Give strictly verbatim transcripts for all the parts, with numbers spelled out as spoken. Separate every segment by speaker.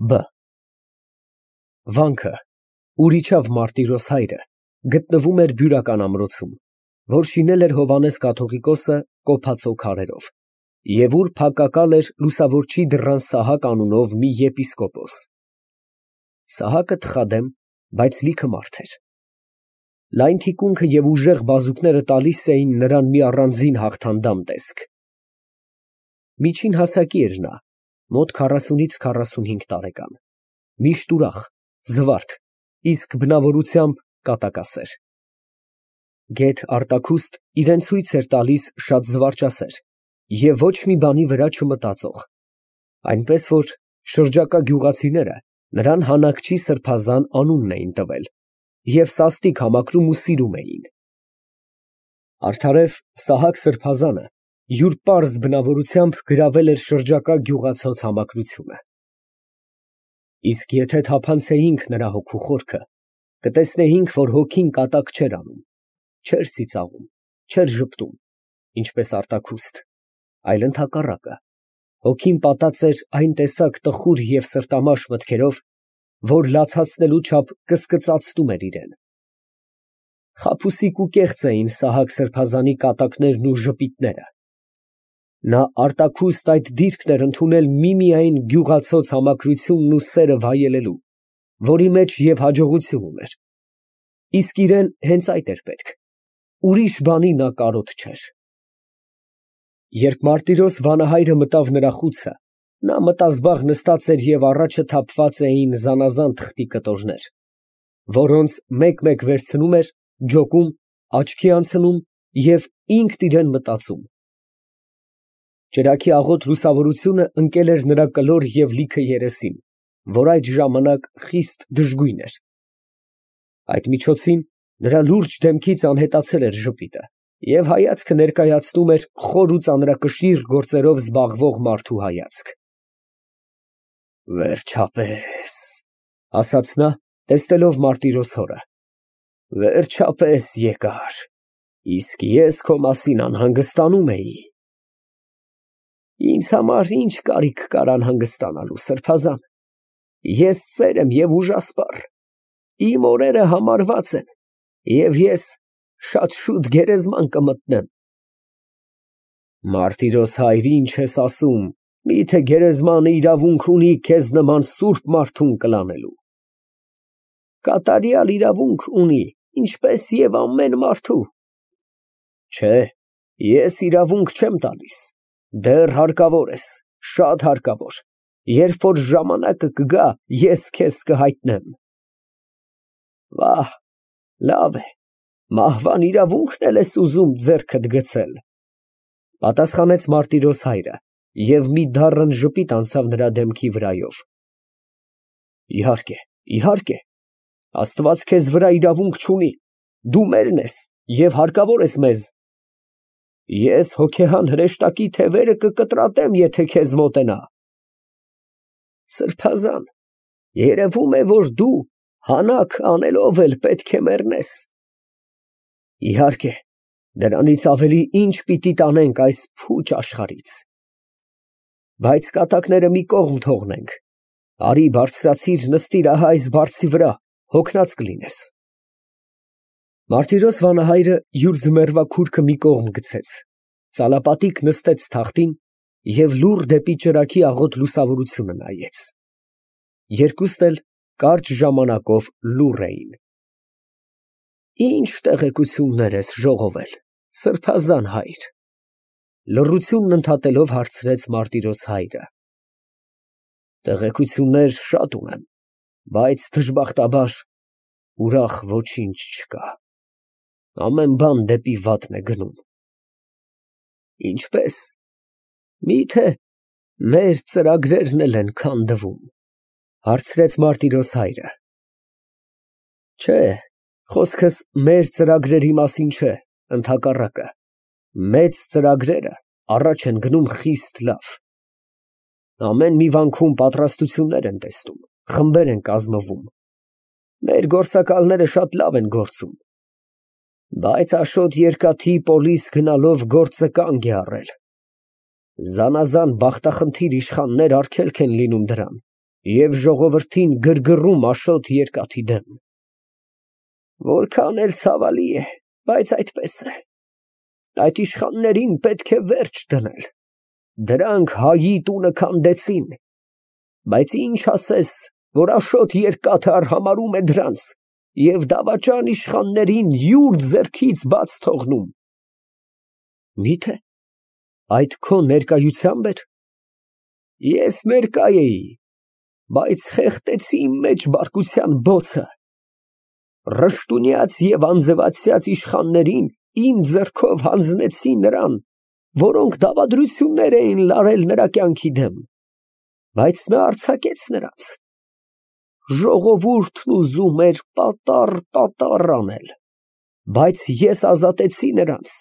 Speaker 1: Բ Վանքը, ուր իջավ Մարտիրոս հայրը, գտնվում էր Բյուրական ամրոցում, որ շինել էր Հովհաննես կաթողիկոսը կոփածո քարերով, և ուր փակակալ էր լուսավորչի դռան Սահակ անունով մի եպիսկոպոս։ Սահակը թխադեմ, բայց լիքը մարդ էր։ Լայն թիկունքը և ուժեղ բազուկները տալիս էին նրան մի առանձին հաղթանդամ տեսք։ Միջին հասակի էր նա, մոտ քառասունից քառասունհինգ տարեկան, միշտ ուրախ, զվարթ, իսկ բնավորությամբ կատակասեր։ Գեթ Արտաքուստ իրան ցույց էր տալիս շատ զվարճասեր և ոչ մի բանի վրա չմտածող, այնպես որ շրջակա գյուղացիները նրան Հանաքչի սրբազան անունն էին տվել և սաստիկ համակրում ու սիրում էին։ Արդարև Սահակ սրբազանը յուր պարզ բնավորությամբ գրավել էր շրջակա գյուղացոց համակրությունը։ Իսկ եթե թափանցեինք նրա հոգու խորքը, կտեսնեինք, որ հոգին կատակ չէր անում, չէր ծիծաղում, չէր ժպտում, ինչպես Արտաքուստ, այլ ընդհակառակը, հոգին պատած էր այն տեսակ տխուր և սրտամաշ մտքերով, որ լացացնելու չափ կսկծացնում էր իրան։ Խաբուսիկ ու կեղծ էին Սահակ սրբազանի կատակներն ու ժպիտները։ Նա Արտաքուստ այդ դիրքն էր ընդունել միմիայն գյուղացոց համակրությունն ու սերը վայելելու, որի մեջ և հաջողություն ուներ, իսկ իրան հենց այդ էր պետք, ուրիշ բանի նա կարոտ չէր։ Երբ Մարտիրոս վանահայրը մտավ նրա խուցը, նա մտազբաղ նստած էր և առաջը թափված էին զանազան թղթի կտորներ, որոնց մեկ֊մեկ վերցնում էր, ջոկում, աչքի անցնում և ինքն իրան մտածում։ Ճրագի աղոտ լուսավորությունը ընկել էր նրա կլոր և լիքը երեսին, որ այդ ժամանակ խիստ դժգույն էր։ Այդ միջոցին նրա լուրջ դեմքից անհետացել էր ժպիտը, և հայացքը ներկայացնում էր խոր ու ծանրակշիռ գործերով զբաղվող մարդու հայացք։ Վերջապես, ֊ ասաց նա, տեսնելով Մարտիրոս հորը, ֊ վերջապես եկար, իսկ ես քո մասին անհանգստանում էի։ Ինձ համար ի՞նչ կարիք կար անհանգստանալու, սրբազան, ես ծեր եմ և ուժասպառ, իմ օրերը համարված են, և ես շատ շուտ գերեզման կմտնեմ։ Մարտիրոս հայր, ի՞նչ ես ասում, միթե գերեզմանը իրավունք ունի քեզ նման սուրբ մարդուն կլանելու։ Կատարյալ իրավունք ունի, ինչպես և ամեն մարդու։ Չէ, ես իրավունք չեմ տալիս, դեռ հարկավոր ես, շատ հարկավոր, երբ որ ժամանակը կգա, ես քեզ կհայտնեմ։ Վահ, լավ է, մահվան իրավունքն էլ ես ուզում ձեռքդ գցել, ֊ պատասխանեց Մարտիրոս հայրը և մի դառն ժպիտ անցավ նրա դեմքի վրայով։ Իհարկե, իհարկե, Աստված քեզ վրա իրավունք չունի, դու մերն ես և հարկավոր ես մեզ։ Ես հոգեհան հրեշտակի թևերը կկտրատեմ, եթե քեզ մոտենա։ Սրբազան, երևում է, որ դու հանաք անելով էլ պետք է մեռնես։ Իհարկե, դրանից ավելի ի՞նչ պիտի տանենք այս փուչ աշխարհից։ Բայց կատակները մի կողմ թողնենք, արի բարձրացիր, նստիր ահա այս բարձի վրա, հոգնած կլինես։ Մարտիրոս վանահայրը յուր ձմեռվա քուրքը մի կողմ գցեց, ծալապատիկ նստեց թախտին և լուռ դեպի ճրագի աղոտ լուսավորությունը նայեց։ Երկուստ էլ կարճ ժամանակով լուռ էին։ Ի՞նչ տեղեկություններ ես ժողովել, սրբազան հայր, ֊ լռությունն ընդհատելով հարցրեց Մարտիրոս հայրը։ Տեղեկություններ շատ ունեմ, բայց դժբախտաբար ուրախ ոչինչ չկա, ամեն բան դեպի վատն է գնում։ Ինչպե՞ս, միթե մեր ծրագրերն էլ են քանդվում, ֊ հարցրեց Մարտիրոս հայրը։ Չէ, խոսքս մեր ծրագրերի մասին չէ, ընդհակառակը, մեծ ծրագրերը առաջ են գնում խիստ լավ։ Ամեն մի վանքում պատրաստություններ են տեսնում, խմբեր են կազմվում, մեր գործակալները շատ լավ են գործում, բայց Աշոտ Երկաթի պոլիս գնալով գործը կանգ է առել։ Զանազան բախտախնդիր իշխաններ արգելք են լինում դրան, և ժողովրդին գրգռում Աշոտ երկաթի դեմ։ Որքան էլ ցավալի է, բայց այդպես է։ Այդ իշխաններին պետք է վերջ դնել։ Դրանք հայի տունը քանդեցին, բայց ինչ ասես, որ Աշոտ երկաթը արհամարհում է դրանց և դավաճան իշխաններին յուր ձեռքից բաց թողնում։ Մի՞թե այդ քո ներկայությա՞մբ էր։ Ես ներկա էի, բայց խեղդեցի իմ մեջ բարկության բոցը։ Ռշտունյաց և անձրևացյաց իշխաններին իմ ձեռքով հանձնեցի նրան, որոնք դավադրություններ էին լարել նրա կյանքի դեմ, բայց նա արձակեց նրանց։ Ժողովուրդն ուզում էր պատառ֊պատառ անել, բայց ես ազատեցի նրանց,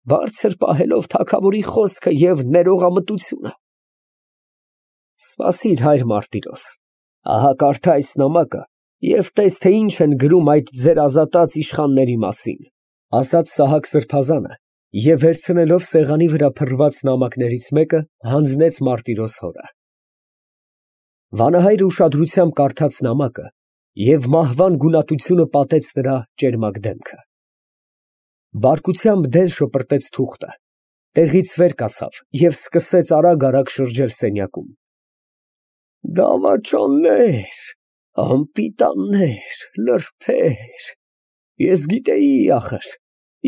Speaker 1: բարձր պահելով թագավորի խոսքը և ներողամտությունը։ Սպասիր, հայր Մարտիրոս, ահա կարդա այս նամակը և տես, թե ինչ են գրում այդ ձեր ազատած իշխանների մասին, ֊ ասաց Սահակ սրբազանը և վերցնելով սեղանի վրա փռված նամակներից մեկը, հանձնեց Մարտիրոս հորը։ Վանահայրը ուշադրությամբ կարդաց նամակը և մահվան գունատությունը պատեց նրա ճերմակ դեմքը։ Բարկությամբ դեն շպրտեց թուղթը, տեղից վեր կացավ և սկսեց արագ֊արագ շրջել սենյակում։ Դավաճաններ, անպիտաններ, լրբեր, ես գիտեի, ախր,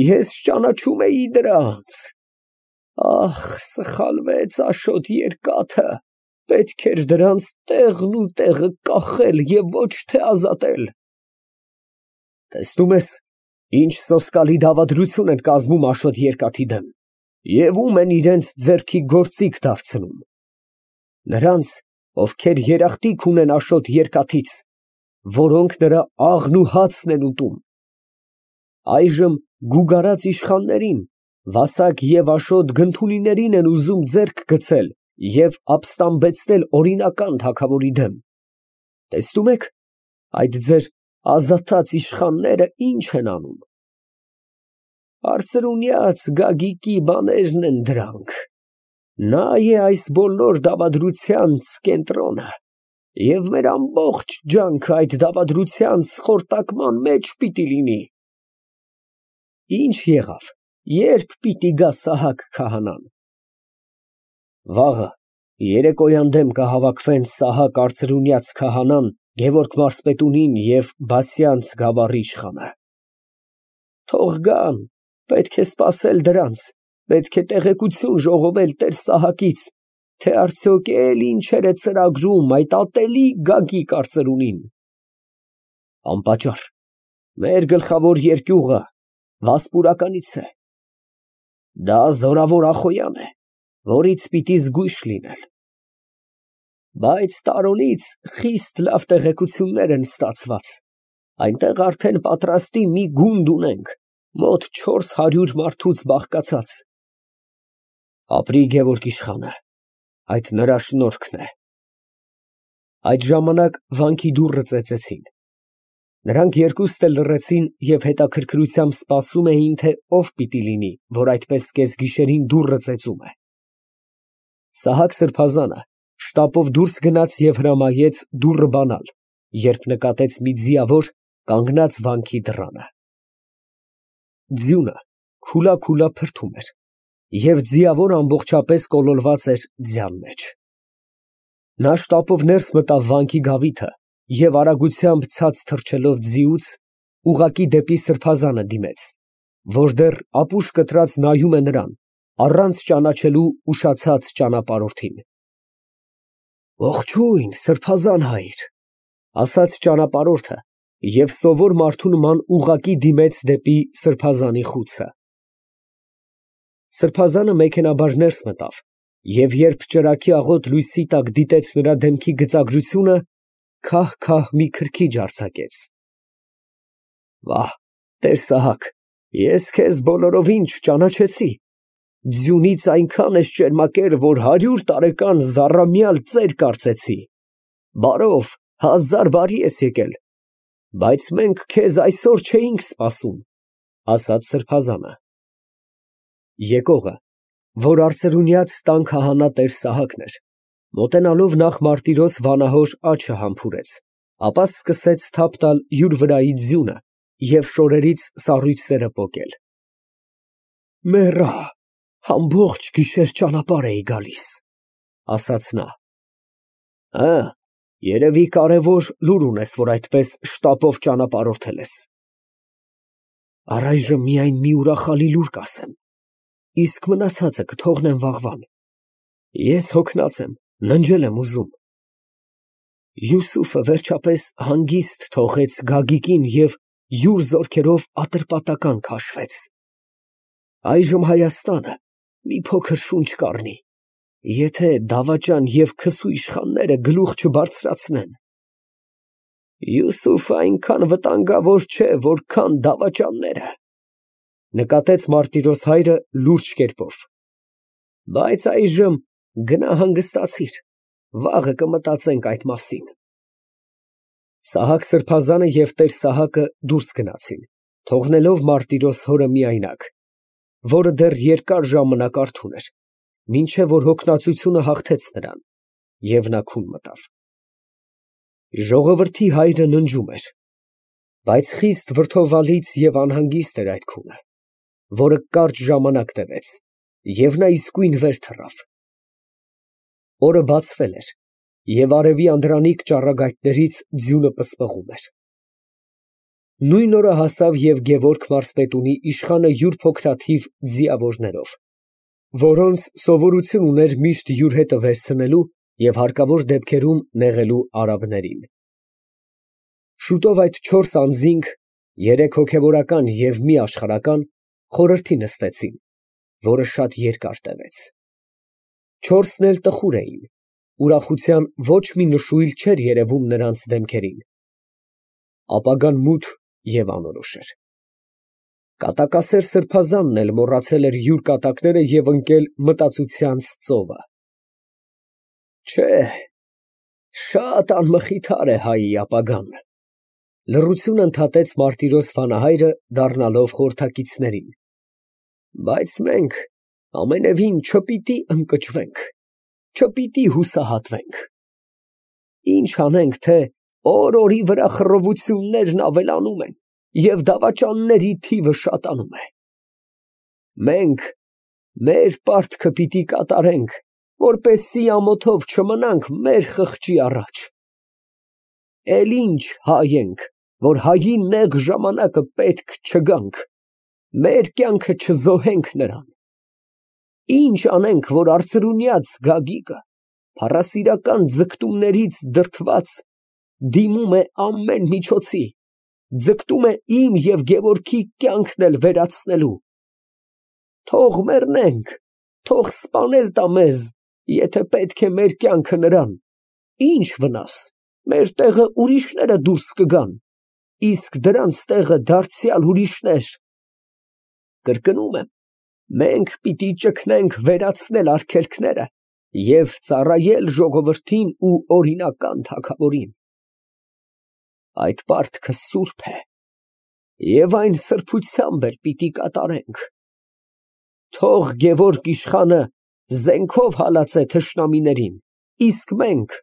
Speaker 1: ես ճանաչում էի դրանց։ Ախ, սխալվեց Աշոտ երկաթը, պետք էր դրանց տեղն ու տեղը կախել և ոչ թե ազատել։ Տեսնում ես, ինչ սոսկալի դավադրություն են կազմում Աշոտ երկաթի դեմ և ում են իրենց ձեռքի գործիք դարձնում։ Նրանց, ովքեր երախտիկ ունեն Աշոտ երկաթից, որոնք նրա աղն ու հացն են ուտում։ Այժմ գուգարած իշխաններին, Վասակ և Աշոտ Գնթունիներին են ուզում ձեռք գցել և ապստամբեցնել օրինական թագավորի դեմ։ Տեսնում եք, այդ ձեր ազատած իշխանները ինչ են անում։ Արծրունյաց Գագիկի բաներն են դրանք։ Նա է այս բոլոր դավադրությանց կենտրոնը և մեր ամբողջ ջանքը այդ դավադրությանց խորտակման մեջ պիտի լինի։ Ինչ եղավ, ե՞րբ պիտի գա Սահակ քահանան։ Վաղը երեկոյան դեմ կհավաքվեն Սահակ արծրունյաց քահանան, Գևորգ մարզպետունին և Բասյանց գավառի իշխանը։ Թող գան, պետք է սպասել դրանց, պետք է տեղեկություն ժողովել տեր Սահակից, թե արդյոք էլ ինչեր է ծրագրում այդ ատելի Գագիկ արծրունին։ Անպատճառ, մեր գլխավոր երկյուղը Վասպուրականից է։ Դա զորավոր Ախոյան է, որից պիտի զգույշ լինել։ Բայց Տարոնից խիստ լավ տեղեկություններ են ստացված, այնտեղ արդեն պատրաստի մի գունդ ունենք, մոտ չորս հարյուր մարդուց բաղկացած։ Ապրի Գևորգ իշխանը, այդ նրա շնորհքն է։ Այդ ժամանակ վանքի դուռը ծեծեցին։ Նրանք երկուստ էլ լռեցին և հետաքրքրությամբ սպասում էին, թե ով պիտի լինի, որ այդպես կեսգիշերին դուռը ծեծում է։ Սահակ սրբազանը շտապով դուրս գնաց և հրամայեց դուռը բանալ, երբ նկատեց մի ձիավոր կանգնած վանքի դռանը։ Ձյունը քուլա֊քուլա փրթում էր, և ձիավորը ամբողջապես կոլորված էր ձյան մեջ։ Նա շտապով ներս մտավ վանքի գավիթը և արագությամբ ցած թռչելով ձիուց, ուղղակի դեպի սրբազանը դիմեց, որ դեռ ապուշ կտրած նայում է նրան, առանց ճանաչելու ուշացած ճանապարհորդին։ Ողջույն, սրբազան հայր, ֊ ասաց ճանապարհորդը և սովոր մարդու նման ուղղակի դիմեց դեպի սրբազանի խուցը։ Սրբազանը մեքենայաբար ներս մտավ և երբ ճրագի աղոտ լույսի տակ դիտեց նրա դեմքի գծագրությունը, քահ֊քահ մի քրքիջ արձակեց։ Վա, տեր Սահակ, ես քեզ բոլորովին չճանաչեցի։ Ձյունից այնքան ես ճերմակեր, որ հարյուր տարեկան զառամյալ ծեր կարծեցի։ Բարով, հազար բարի ես եկել, բայց մենք քեզ այսօր չէինք սպասում, ֊ ասաց սրբազանը։ Եկողը, որ արծրունյաց տան քահանա տեր Սահակն էր, Մոտենալով նախ Մարտիրոս վանահոր աչքը համբուրեց, ապա սկսեց թափ տալ յուր վրայից ձյունը և շորերից սառույցները պոկել։ Մեռա, ամբողջ գիշեր ճանապարհ էի գալիս, ասաց նա։ Ա, երևի կարևոր լուր ունես, որ այդպես շտապով ճանապարհորդել ես։ Առայժմ միայն մի ուրախալի լուր կասեմ, իսկ մնացածը կթողնեմ վաղվան։ Ես հոգնած եմ, ննջել եմ ուզում։ Յուսուֆը վերջապես հանգիստ թողեց Գագիկին և յուր զորքերով ատրպատական քաշվեց։ Այժմ Հայաստանը մի փոքր շունչ կառնի, եթե դավաճան և քսու իշխանները գլուխ չբարձրացնեն։ Յուսուֆը այնքան վտանգավոր չէ, որքան դավաճանները, նկատեց Մարտիրոս հայրը լուրջ կերպով։ Բայց այժմ գնա հանգստացիր, վաղը կմտածենք այդ մասին։ Սահակ սրբազանը և տեր Սահակը դուրս գնացին, թողնելով Մարտիրոս հորը միայնակ, որը դեռ երկար ժամանակ արթուն էր, մինչև որ հոգնածությունը հաղթեց նրան, և նա քուն մտավ։ Ժողովրդի հայրը ննջում էր, բայց խիստ վրդովալից և անհանգիստ էր այդ քունը, որը կարճ ժամանակ տևեց, և նա իսկույն վեր թռավ։ Օրը բացվել էր, և արևի անդրանիկ ճառագայթներից ձյունը պսպղում էր։ Նույն օրը հասավ և Գևորգ մարզպետունի իշխանը յուր փոքրաթիվ ձիավորներով, որոնց սովորություն ուներ միշտ յուր հետը վերցնելու և հարկավոր դեպքերում նեղելու արաբներին։ Շուտով այդ չորս անձինք, երեք հոգևորական և մի աշխարհական, խորհրդի նստեցին, որը շատ երկար տևեց։ Չորսն էլ տխուր էին, ուրախության ոչ մի նշույլ չէր երևում նրանց դեմքերին։ Ապագան մութ և անորոշ էր։ Կատակասեր սրբազանն էլ մոռացել էր յուր կատակները և ընկել մտածությանց ծովը։ Չէ, շատ անմխիթար է հայի ապագան, լռություն ընդհատեց Մարտիրոս վանահայրը, դառնալով խորհրդակիցներին, բայց մենք ամենևին չպիտի ընկճվենք, չպիտի հուսահատվենք։ Ինչ անենք, թե օր֊օրի վրա խռովություններն ավելանում են և դավաճանների թիվը շատանում է։ Մենք մեր պարտքը պիտի կատարենք, որպեսզի ամոթով չմնանք մեր խղճի առաջ։ Էլ ինչ հայ ենք, որ հայի նեղ ժամանակը պետք չգանք, մեր կյանքը չզոհենք նրան։ Ինչ անենք, որ արծրունյաց Գագիկը փառասիրական ձգտումներից դրդված դիմում է ամեն միջոցի, ձգտում է իմ և Գևորգի կյանքն էլ վերացնելու։ Թող մեռնենք, թող սպանել տա մեզ, եթե պետք է մեր կյանքը նրան, ինչ վնաս, մեր տեղը ուրիշները դուրս կգան, իսկ դրանց տեղը դարձյալ ուրիշներ։ Կրկնում եմ, մենք պիտի ճգնենք վերացնել արգելքները և ծառայել ժողովրդին ու օրինական թագավորին։ Այդ պարտքը սուրբ է, և այն սրբությամբ էլ պիտի կատարենք։ Թող Գևորգ իշխանը զենքով հալածե թշնամիներին, իսկ մենք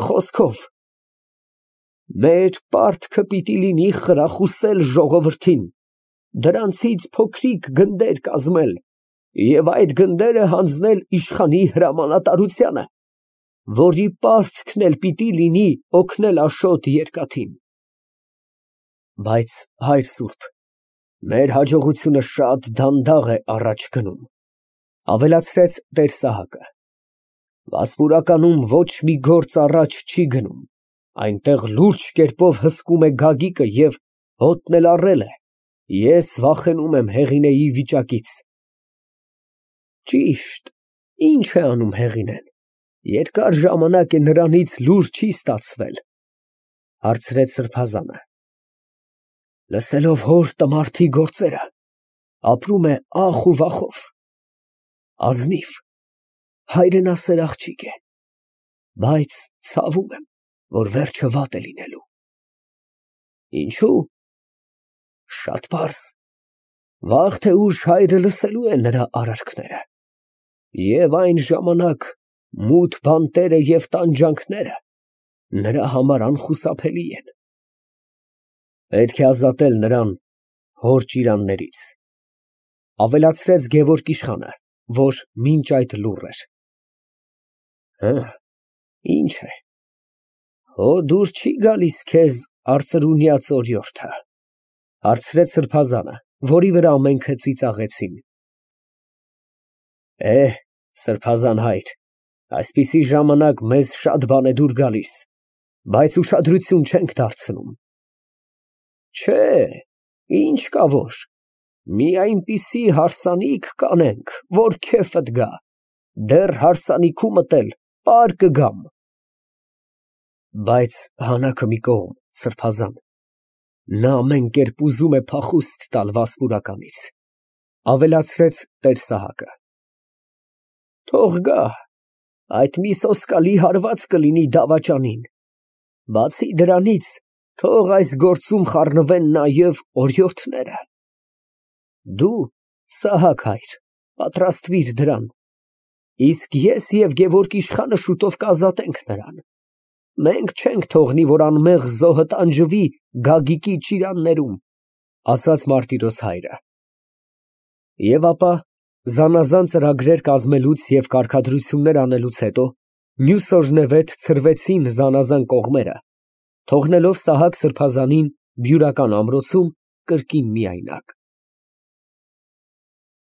Speaker 1: խոսքով։ Մեր պարտքը պիտի լինի խրախուսել ժողովրդին, դրանցից փոքրիկ գնդեր կազմել և այդ գնդերը հանձնել իշխանի հրամանատարությանը, որի պարտքն էլ պիտի լինի օգնել Աշոտ երկաթին։ Բայց, հայր սուրբ, մեր հաջողությունը շատ դանդաղ է առաջ գնում, ավելացրեց տեր Սահակը։ Վասպուրականում ոչ մի գործ առաջ չի գնում, այնտեղ լուրջ կերպով հսկում է Գագիկը և հոտն էլ առել է, ես վախենում եմ Հեղինեի վիճակից։ Ճիշտ, ի՞նչ է անում Հեղինեն, երկար ժամանակ է նրանից լուր չի ստացվել, հարցրեց սրբազանը։ Լսելով հոր տմարդի գործերը, ապրում է ախ ու վախով, ազնիվ, հայրենասեր աղջիկ է, բայց ցավում եմ, որ վերջը վատ է լինելու։ Ինչո՞ւ։ Շատ պարզ, վաղ թե ուշ հայրը լսելու է նրա արարքները, և այն ժամանակ Մութ բանտերը և տանջանքները նրա համար անխուսափելի են։ Պետք է ազատել նրան հոր ճիրաններից, ավելացրեց Գևորգ իշխանը, որ մինչ այդ լուռ էր։ Հը, ինչ է, հո դուր չի գալիս քեզ արծրունյա ծորիորդը, հարցրեց սրբազանը, որի վրա ամենքը ծիծաղեցին։ Է, սրբազան հայր, այսպիսի ժամանակ մեզ շատ բան է դուր գալիս, բայց ուշադրություն չենք դարձնում։ Չէ, ինչ կա որ, մի այնպիսի հարսանիք կանենք, որ քեֆդ գա, դեռ հարսանիքումդ էլ պար կգամ։ Բայց հանաքը մի կողմ, սրբազան, նա ամեն կերպ ուզում է փախուստ տալ Վասպուրականից, ավելացրեց տեր֊Սահակը։ Թող գա, այդ մի սոսկալի հարված կլինի դավաճանին, բացի դրանից, թող այս գործում խառնվեն նաև օրիորդները։ Դու, Սահակ հայր, պատրաստվիր դրան, իսկ ես և Գևորգ իշխանը շուտով կազատենք նրան, մենք չենք թողնի, որ անմեղ զոհը տանջվի Գագիկի ճիրաններում, ասաց Մարտիրոս հայրը։ Եվ ապա զանազան ծրագրեր կազմելուց և կարգադրություններ անելուց հետո մյուս օրնևեթ ցրվեցին զանազան կողմերը, թողնելով Սահակ սրբազանին Բյուրական ամրոցում կրկին միայնակ։